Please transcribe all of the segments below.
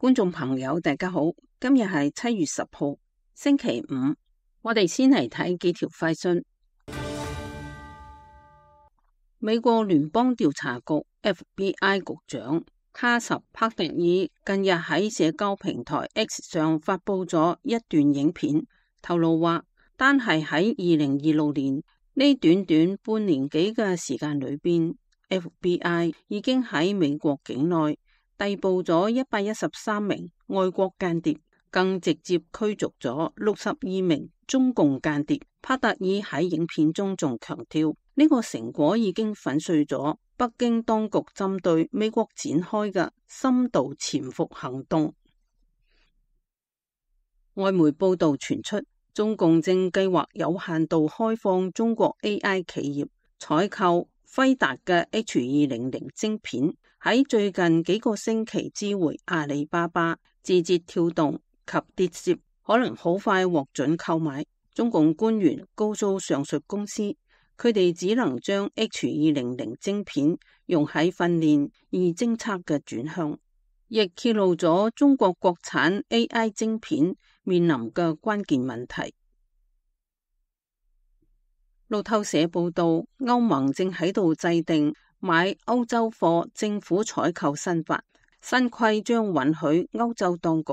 觀眾朋友大家好，今日係7月10號星期五，我哋先嚟睇幾條快訊。美國聯邦調查局 FBI 局長卡什帕特爾近日喺社交平台 X 上發佈咗一段影片，透露話單係喺2026年呢短短半年幾嘅時間裏邊， FBI 已經喺美國境內逮捕咗113名外國間諜，更直接驅逐咗62名中共間諜。帕特爾喺影片中仲強調，呢個成果已經粉碎咗北京當局針對美國展開嘅深度潛伏行動。外媒報道傳出，中共正計劃有限度開放中國 AI 企業採購輝達嘅 H200 晶片，喺最近幾個星期知會阿里巴巴、字節跳動及跌攝，可能好快獲准購買。中共官員告訴上述公司，佢哋只能將 H200 晶片用喺訓練而偵測嘅轉向，亦揭露咗中國國產 AI 晶片面臨嘅關鍵問題。路透社報道，歐盟正喺度制定買歐洲貨政府採購新法，新規將允許歐洲當局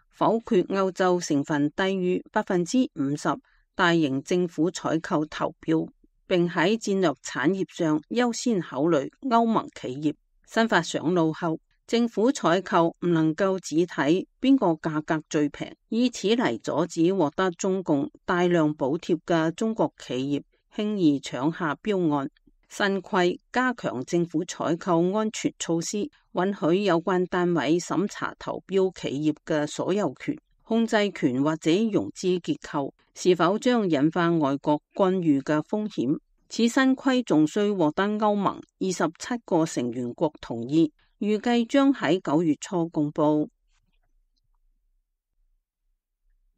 否決歐洲成分低於50%大型政府採購投標，並喺戰略產業上優先考慮歐盟企業。新法上路後，政府採購唔能夠只睇邊個價格最平，以此嚟阻止獲得中共大量補貼嘅中國企業輕易搶下標案。新規加強政府採購安全措施，允許有關單位審查投標企業嘅所有權、控制權或者融資結構是否將引發外國干預嘅風險。此新規仲需獲得歐盟27個成員國同意，預計將喺9月初公布。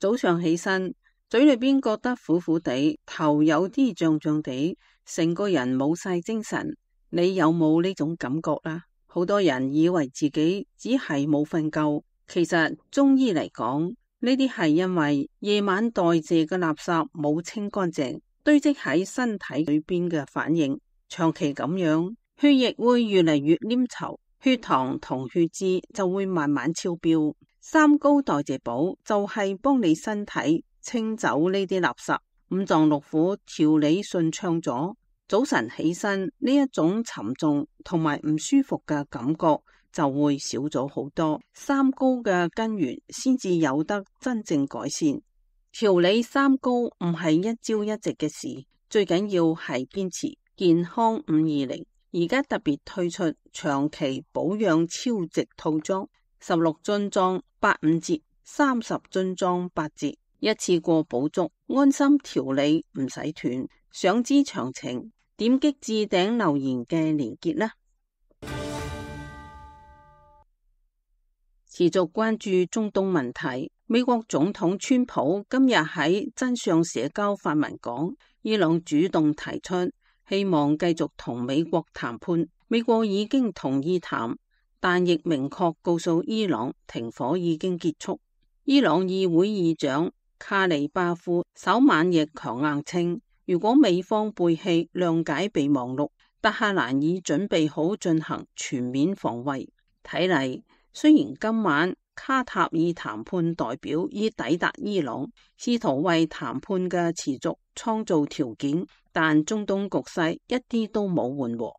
早上起身，嘴裏邊覺得苦苦地，頭有啲脹脹地，成個人冇晒精神。你有冇呢種感覺啦？好多人以為自己只係冇瞓夠，其實中醫嚟講，呢啲係因為夜晚代謝嘅垃圾冇清乾淨，堆積喺身體裏邊嘅反應。長期咁樣，血液會越嚟越黏稠，血糖同血脂就會慢慢超標。三高代謝寶就係幫你身體清走呢啲垃圾，五臟六腑調理順暢咗，早晨起身呢一種沉重同埋唔舒服嘅感覺就會少咗好多。三高嘅根源先至有得真正改善。調理三高唔係一朝一夕嘅事，最緊要係堅持。健康520而家特別推出長期保養超值套裝，16樽裝85折，30樽裝8折，一次過補足，安心調理唔使斷。想知詳情，點擊置頂留言嘅連結啦。持續關注中東問題，美國總統川普今日喺真相社交發文講，伊朗主動提出希望繼續同美國談判，美國已經同意談，但亦明確告訴伊朗停火已經結束。伊朗議會議長卡里巴夫稍晚亦強硬稱，如果美方背棄諒解備忘錄，德黑蘭已準備好進行全面防衛。睇嚟，雖然今晚卡塔爾談判代表已抵達伊朗，試圖為談判嘅持續創造條件，但中東局勢一啲都冇緩和。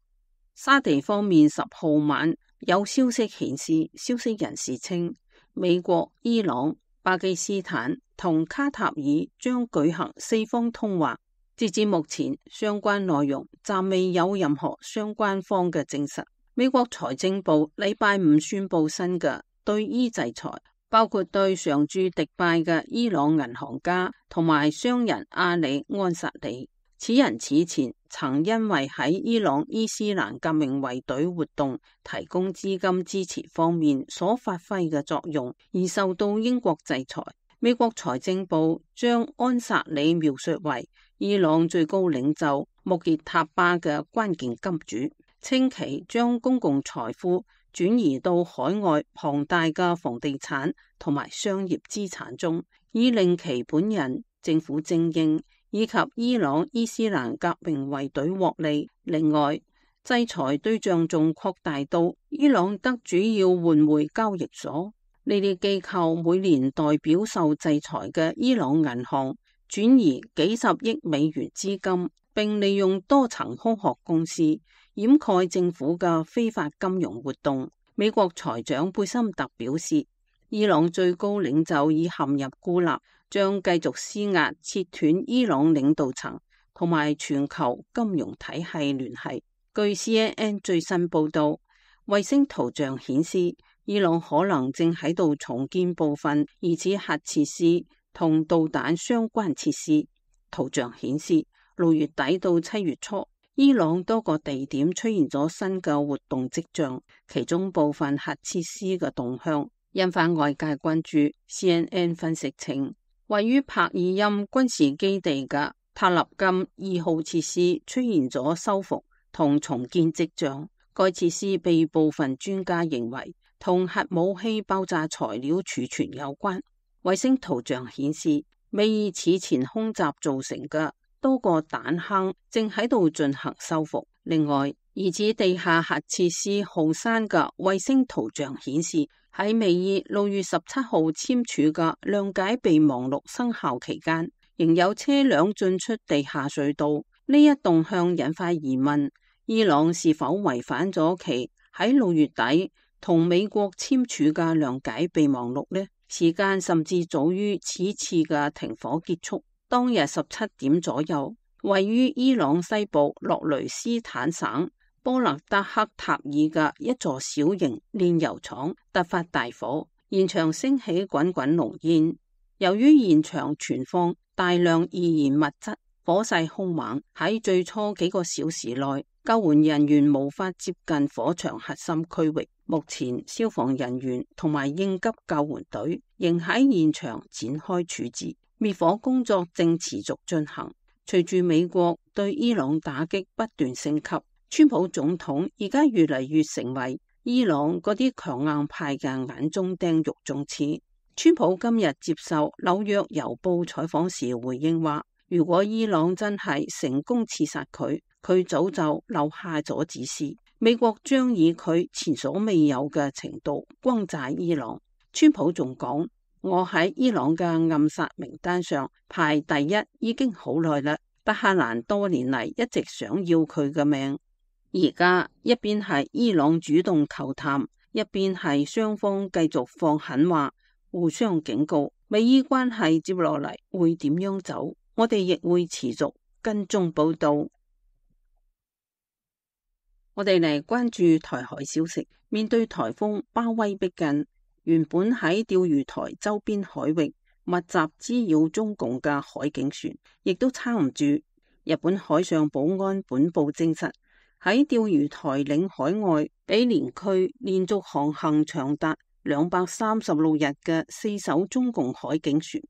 沙地方面10號晚有消息顯示，消息人士稱美國、伊朗、巴基斯坦同卡塔爾將舉行4方通話。截至目前，相關內容暫未有任何相關方嘅證實。美國財政部禮拜五宣布新嘅對伊制裁，包括對常駐迪拜嘅伊朗銀行家同埋商人阿里安薩里。此人此前曾因為喺伊朗伊斯蘭革命衛隊活動提供資金支持方面所發揮嘅作用而受到英國制裁。美國財政部將安薩里描述為伊朗最高領袖穆傑塔巴嘅關鍵金主，稱其將公共財富轉移到海外龐大嘅房地產同埋商業資產中，以令其本人、政府精英以及伊朗伊斯蘭革命衛隊獲利。另外，制裁對象仲擴大到伊朗德主要換匯交易所，呢啲機構每年代表受制裁嘅伊朗銀行轉移幾十億美元資金，並利用多層空殼公司掩蓋政府嘅非法金融活動。美國財長貝森特表示，伊朗最高領袖已陷入孤立，將繼續施壓切斷伊朗領導層同埋全球金融體系聯繫。據 CNN 最新報道，衛星圖像顯示，伊朗可能正喺度重建部分疑似核設施同導彈相關設施。圖像顯示，6月底到7月初，伊朗多個地點出現咗新嘅活動跡象，其中部分核設施嘅動向引發外界關注。CNN 分析稱，位於帕爾欽軍事基地嘅塔立金2號設施出現咗修復同重建跡象，該設施被部分專家認為同核武器爆炸材料儲存有關。衛星圖像顯示，美以此前空襲造成嘅多個彈坑正喺度進行修復。另外，疑似地下核設施浩山嘅衛星圖像顯示，喺美以6月17號簽署嘅諒解備忘錄生效期間，仍有車輛進出地下隧道。呢一動向引發疑問，伊朗是否違反咗其喺6月底同美國簽署嘅諒解備忘錄呢？時間甚至早於此次嘅停火結束。當日17點左右，位於伊朗西部洛雷斯坦省波勒德克塔爾嘅一座小型煉油廠突發大火，現場升起滾滾濃煙。由於現場存放大量易燃物質，火勢兇猛，喺最初幾個小時內，救援人員無法接近火場核心區域。目前，消防人員同埋應急救援隊仍喺現場展開處置，滅火工作正持續進行。隨住美國對伊朗打擊不斷升級，川普總統而家越嚟越成為伊朗嗰啲強硬派嘅眼中釘、肉中刺。川普今日接受紐約郵報採訪時回應話，如果伊朗真係成功刺殺佢，佢早就留下咗指示，美國將以佢前所未有嘅程度轟炸伊朗。川普仲講，我喺伊朗嘅暗殺名單上排第一已經好耐啦，德黑蘭多年嚟一直想要佢嘅命。而家一邊係伊朗主動求談，一邊係雙方繼續放狠話，互相警告，美伊關係接落嚟會點樣走，我哋亦會持續跟蹤報道。我哋嚟關注台海消息。面對台風巴威逼近，原本喺釣魚台周邊海域密集滋擾中共嘅海警船，亦都撐唔住。日本海上保安本部證實，喺釣魚台領海外比連區連續航行長達236日嘅4艘中共海警船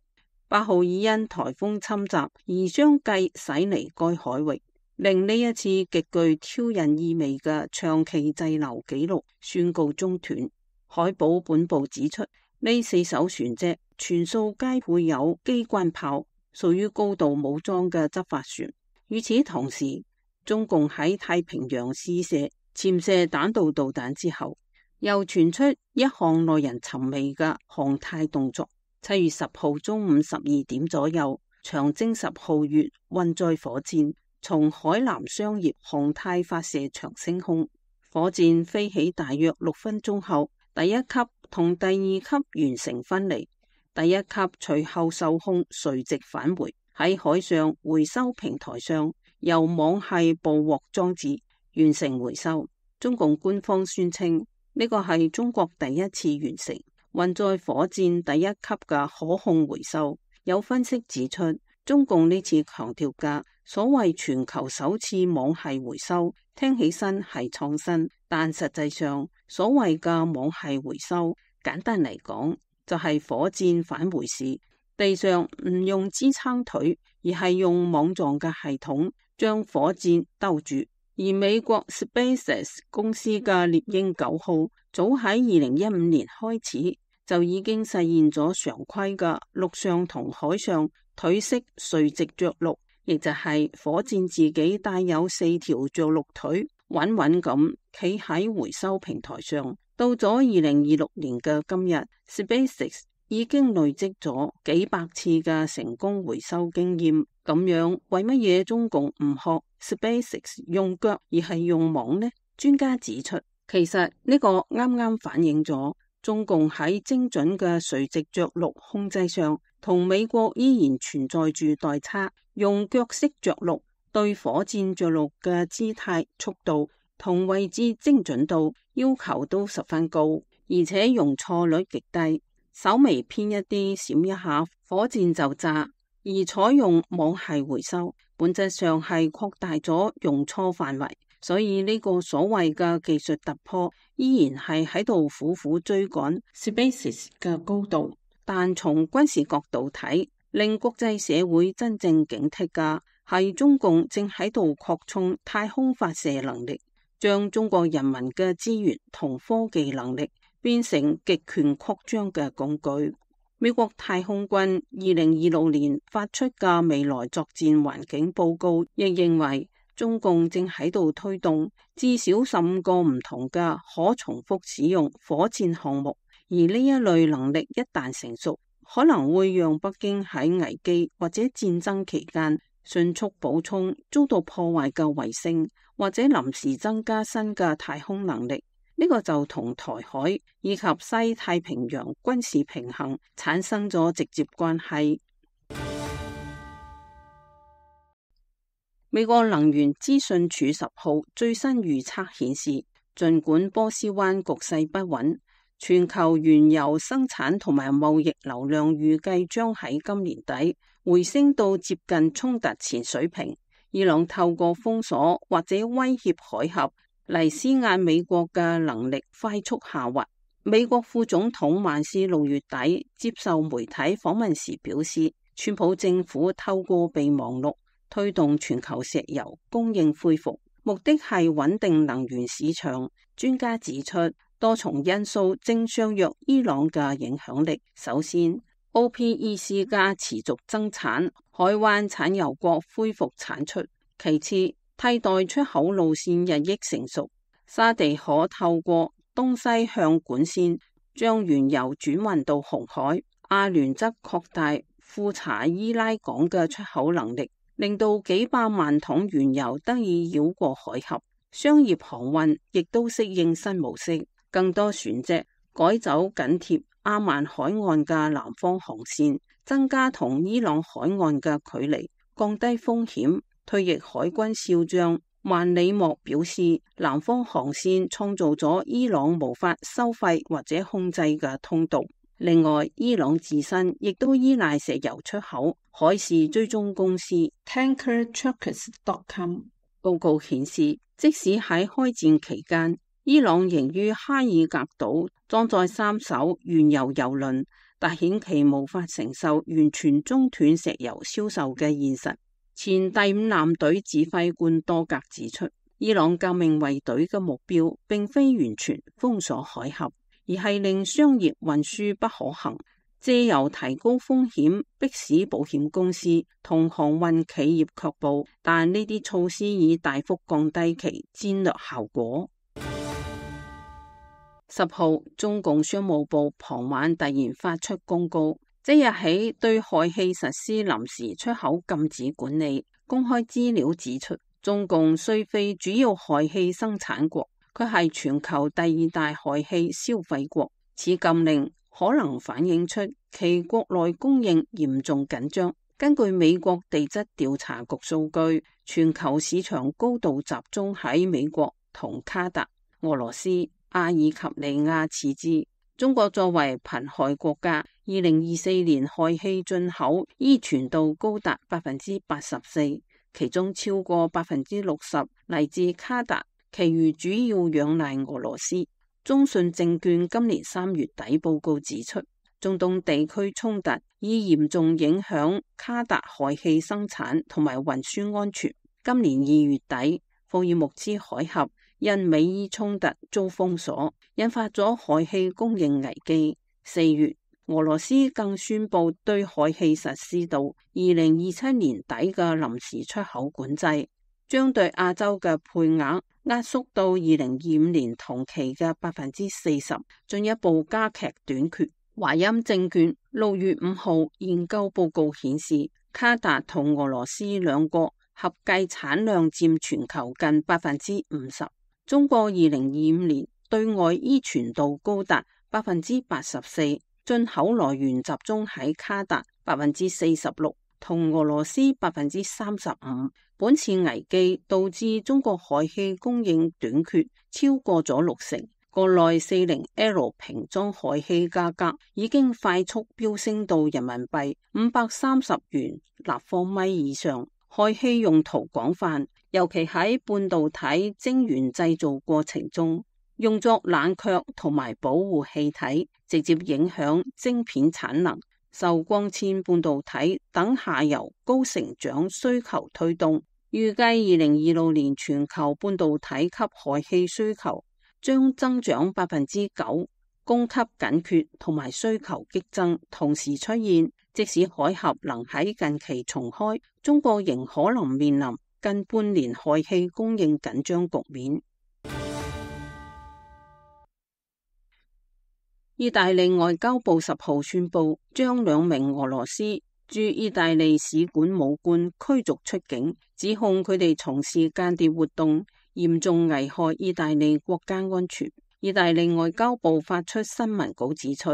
，8號已因台風侵襲而相繼駛離該海域，令呢一次極具挑釁意味嘅長期滯留紀錄宣告中斷。海保本部指出，呢4艘船隻全數皆配有機關炮，屬於高度武裝嘅執法船。與此同時，中共喺太平洋試射潛射彈道導彈之後，又傳出一項耐人尋味嘅航太動作。7月10號中午12點左右，長征10號月運載火箭從海南商業航太發射場升空，火箭飛起大約6分鐘後，第一級同第二級完成分離，第一級隨後受控垂直返回，喺海上回收平台上由網繫捕獲裝置完成回收。中共官方宣稱呢個係中國第一次完成運載火箭第一級嘅可控回收。有分析指出，中共呢次強調嘅所謂全球首次網繫回收，聽起身係創新，但實際上所謂嘅網繫回收，簡單嚟講就係火箭返回時，地上唔用支撐腿，而係用網狀嘅系統將火箭兜住。而美國 SpaceX 公司嘅獵鷹9號早喺2015年開始就已經實現咗常規嘅陸上同海上腿式垂直着陸，亦就係火箭自己帶有4條着陸腿，穩穩咁企喺回收平台上。到咗2026年嘅今日 ，SpaceX 已經累積咗幾百次嘅成功回收經驗。咁樣為乜嘢中共唔學 SpaceX 用腳而係用網呢？專家指出，其實呢個啱啱反映咗中共喺精準嘅垂直着陸控制上，同美國依然存在住代差。用腳式着陸對火箭着陸嘅姿態、速度同位置精準度要求都十分高，而且容錯率極低，稍微偏一啲閃一下，火箭就炸。而採用網繫回收，本質上係擴大咗容錯範圍，所以呢個所謂嘅技術突破依然係喺度苦苦追趕 SpaceX 嘅高度。但從軍事角度睇，令國際社會真正警惕嘅係中共正喺度擴充太空發射能力，將中國人民嘅資源同科技能力變成極權擴張嘅工具。美國太空軍2026年發出嘅未來作戰環境報告亦認為，中共正喺度推動至少15個唔同嘅可重複使用火箭項目，而呢一類能力一旦成熟，可能會讓北京喺危機或者戰爭期間迅速補充遭到破壞嘅衛星，或者臨時增加新嘅太空能力。呢個就同台海以及西太平洋軍事平衡產生咗直接關係。美國能源資訊署10號最新預測顯示，儘管波斯灣局勢不穩，全球原油生產同埋貿易流量預計將喺今年底回升到接近衝突前水平。伊朗透過封鎖或者威脅海峽嚟施壓美國嘅能力快速下滑。美國副總統萬斯6月底接受媒體訪問時表示，川普政府透過備忘錄推動全球石油供應恢復，目的係穩定能源市場。專家指出，多重因素正削弱伊朗嘅影響力。首先， OPEC 加持續增產，海灣產油國恢復產出。其次，替代出口路線日益成熟，沙地可透過東西向管線將原油轉運到紅海，阿聯則擴大富查伊拉港嘅出口能力，令到幾百萬桶原油得以繞過海峽。商業航運亦都適應新模式，更多船隻改走緊貼阿曼海岸嘅南方航線，增加同伊朗海岸嘅距離，降低風險。退役海軍少將萬里莫表示，南方航線創造咗伊朗無法收費或者控制嘅通道。另外，伊朗自身亦都依賴石油出口。海事追蹤公司 TankerTrackers.com 報告顯示，即使喺開戰期間，伊朗仍於哈爾格島裝載3艘原油油輪，但顯其無法承受完全中斷石油銷售嘅現實。前第5艦隊指揮官多格指出，伊朗革命衛隊嘅目標並非完全封鎖海峽，而係令商業運輸不可行，借由提高風險迫使保險公司同航運企業卻步，但呢啲措施已大幅降低其戰略效果。10號，中共商務部傍晚突然發出公告，即日起對氦氣實施臨時出口禁止管理。公開資料指出，中共雖非主要氦氣生產國，佢係全球第2大氦氣消費國。此禁令可能反映出其國內供應嚴重緊張。根據美國地質調查局數據，全球市場高度集中喺美國同卡達、俄羅斯、阿爾及利亞次之。中國作為貧氦國家，2024年氦氣進口依存度高達84%，其中超過60%嚟自卡達，其餘主要仰賴俄羅斯。中信證券今年3月底報告指出，中東地區衝突已嚴重影響卡達氦氣生產同埋運輸安全。今年2月底，霍爾木茲海峽因美伊衝突遭封鎖，引發咗氦氣供應危機。4月，俄羅斯更宣布對氦氣實施到2027年底嘅臨時出口管制，將對亞洲嘅配額壓縮到2025年同期嘅40%，進一步加劇短缺。華音證券6月5號研究報告顯示，卡達同俄羅斯兩國合計產量佔全球近50%。中國2025年對外依存度高達84%，進口來源集中喺卡達46%，同俄羅斯35%。本次危機導致中國氦氣供應短缺超過咗60%，國內40L 瓶裝氦氣價格已經快速飆升到人民幣530元立方米以上。氦氣用途廣泛，尤其喺半導體晶圓製造過程中，用作冷卻同埋保護氣體，直接影響晶片產能。受光纖半導體等下游高成長需求推動，預計2026年全球半導體級氦氣需求將增長9%，供給緊缺同埋需求激增同時出現。即使海峽能喺近期重開，中國仍可能面臨近半年氦氣供應緊張局面。意大利外交部10號宣布，將2名俄羅斯駐意大利使館武官驅逐出境，指控佢哋從事間諜活動，嚴重危害意大利國家安全。意大利外交部發出新聞稿指出，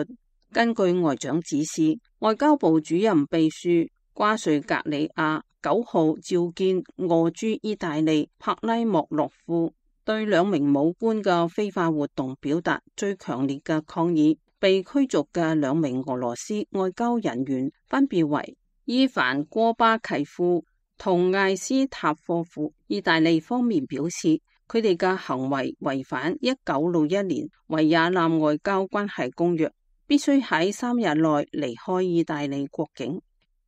根據外長指示，外交部主任秘書瓜瑞格里亞9號召見俄駐意大利帕拉莫洛夫，對2名武官嘅非法活動表達最強烈嘅抗議。被驅逐嘅2名俄羅斯外交人員分別為伊凡戈巴契夫同艾斯塔科夫。意大利方面表示，佢哋嘅行為違反1961年維也納外交關係公約，必須喺3日內離開意大利國境。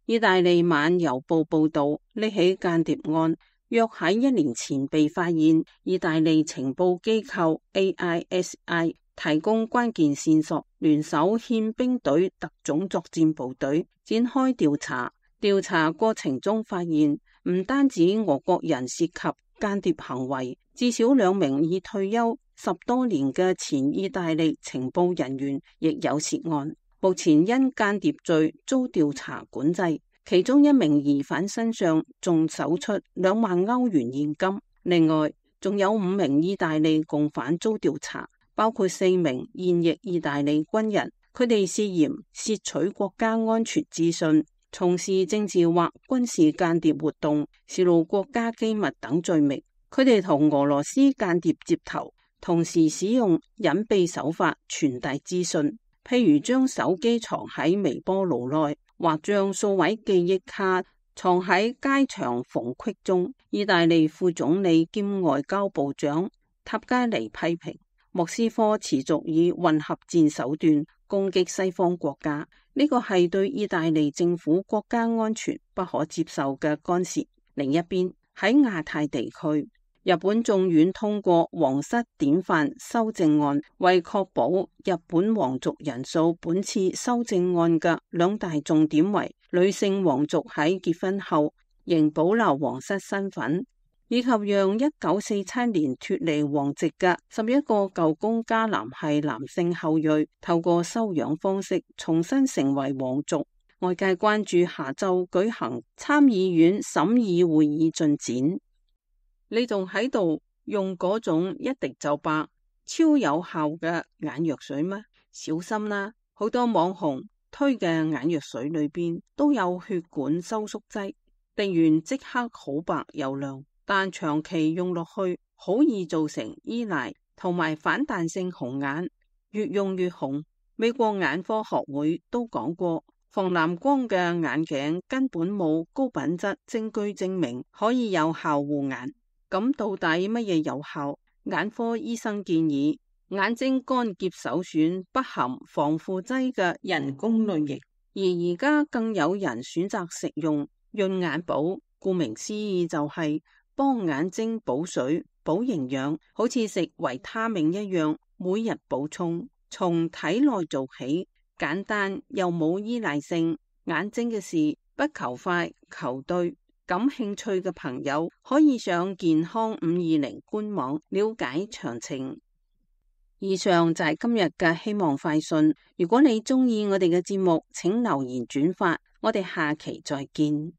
意大利晚郵報報道，呢起間諜案約喺1年前被發現，意大利情報機構 AISI 提供關鍵線索，聯手憲兵隊特種作戰部隊展開調查。調查過程中發現，唔單止俄國人涉及間諜行為，至少2名已退休10多年嘅前意大利情報人員亦有涉案，目前因間諜罪遭調查管制。其中1名疑犯身上仲搜出2萬歐元現金，另外仲有5名意大利共犯遭調查，包括4名現役意大利軍人，佢哋涉嫌竊取國家安全資訊、從事政治或軍事間諜活動、泄露國家機密等罪名。佢哋同俄羅斯間諜接頭，同時使用隱蔽手法傳遞資訊，譬如將手機藏喺微波爐內，或將數位記憶卡藏喺街牆縫隙中。意大利副總理兼外交部長塔加尼批評莫斯科持續以混合戰手段攻擊西方國家，呢個係對意大利政府國家安全不可接受嘅干涉。另一邊，喺亞太地區，日本眾院通過皇室典範修正案，為確保日本皇族人數，本次修正案嘅2大重點為女性皇族喺結婚後仍保留皇室身份，以及讓1947年脫離皇籍嘅11個舊公加南系男性後裔透過收養方式重新成為皇族。外界關注下週舉行參議院審議會議進展。你仲喺度用嗰種一滴就白、超有效嘅眼藥水嗎？小心啦！好多網紅推嘅眼藥水裏邊都有血管收縮劑，滴完即刻好白又亮，但長期用落去好易造成依賴同埋反彈性紅眼，越用越紅。美國眼科學會都講過，防藍光嘅眼鏡根本冇高品質證據證明可以有效護眼。咁到底乜嘢有效？眼科醫生建議眼睛乾澀首選不含防腐劑嘅人工淚液，而而家更有人選擇食用潤眼寶，顧名思義就係幫眼睛補水、補營養，好似食維他命一樣，每日補充，從體內做起，簡單又冇依賴性。眼睛嘅事不求快求對，感興趣嘅朋友可以上健康520官網了解詳情。以上就係今日嘅希望快訊。如果你鍾意我哋嘅節目，請留言轉發。我哋下期再見。